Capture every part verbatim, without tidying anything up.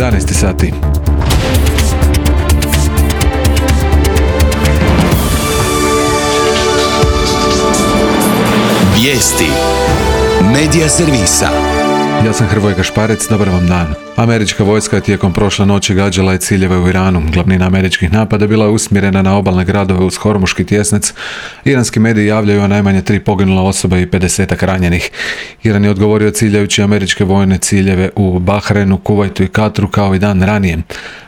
jedanaest sati. Vijesti Medija servisa. Ja sam Hrvoje Gašparec, dobar vam dan. Američka vojska je tijekom prošle noći gađala i ciljeve u Iranu. Glavnina američkih napada bila je usmjerena na obalne gradove uz Hormuški tjesnac. Iranski mediji javljaju o najmanje tri poginula osoba i pedesetak ranjenih. Iran je odgovorio ciljajući američke vojne ciljeve u Bahrajnu, Kuvajtu i Katru kao i dan ranije.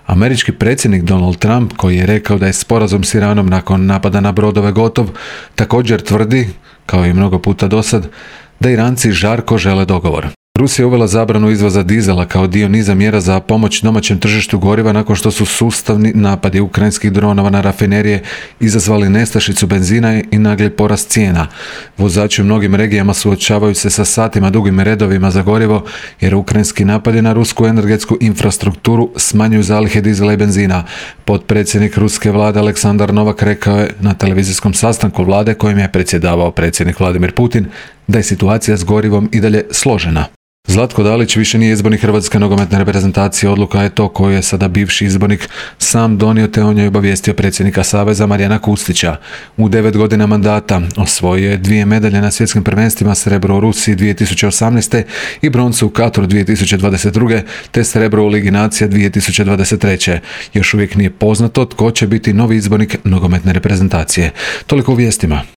Američki predsjednik Donald Trump, koji je rekao da je sporazum s Iranom nakon napada na brodove gotov, također tvrdi, kao i mnogo puta dosad, da Iranci žarko žele dogovor. Rusija je uvela zabranu izvoza dizela kao dio niza mjera za pomoć domaćem tržištu goriva nakon što su sustavni napadi ukrajinskih dronova na rafinerije izazvali nestašicu benzina i nagli porast cijena. Vozači u mnogim regijama suočavaju se sa satima dugim redovima za gorivo jer ukrajinski napadi na rusku energetsku infrastrukturu smanjuju zalihe dizela i benzina. Potpredsjednik ruske vlade Aleksandar Novak rekao je na televizijskom sastanku vlade kojim je predsjedavao predsjednik Vladimir Putin da je situacija s gorivom i dalje složena. Zlatko Dalić više nije izbornik Hrvatske nogometne reprezentacije. Odluka je to koju je sada bivši izbornik sam donio, te on je obavijestio predsjednika Saveza Marijana Kustića. U devet godina mandata osvojio je dvije medalje na svjetskim prvenstvima, srebro u Rusiji dvije tisuće osamnaeste. i broncu u Katru dvije tisuće dvadeset druge. te srebro u Ligi nacija dvije tisuće dvadeset treće. Još uvijek nije poznato tko će biti novi izbornik nogometne reprezentacije. Toliko u vijestima.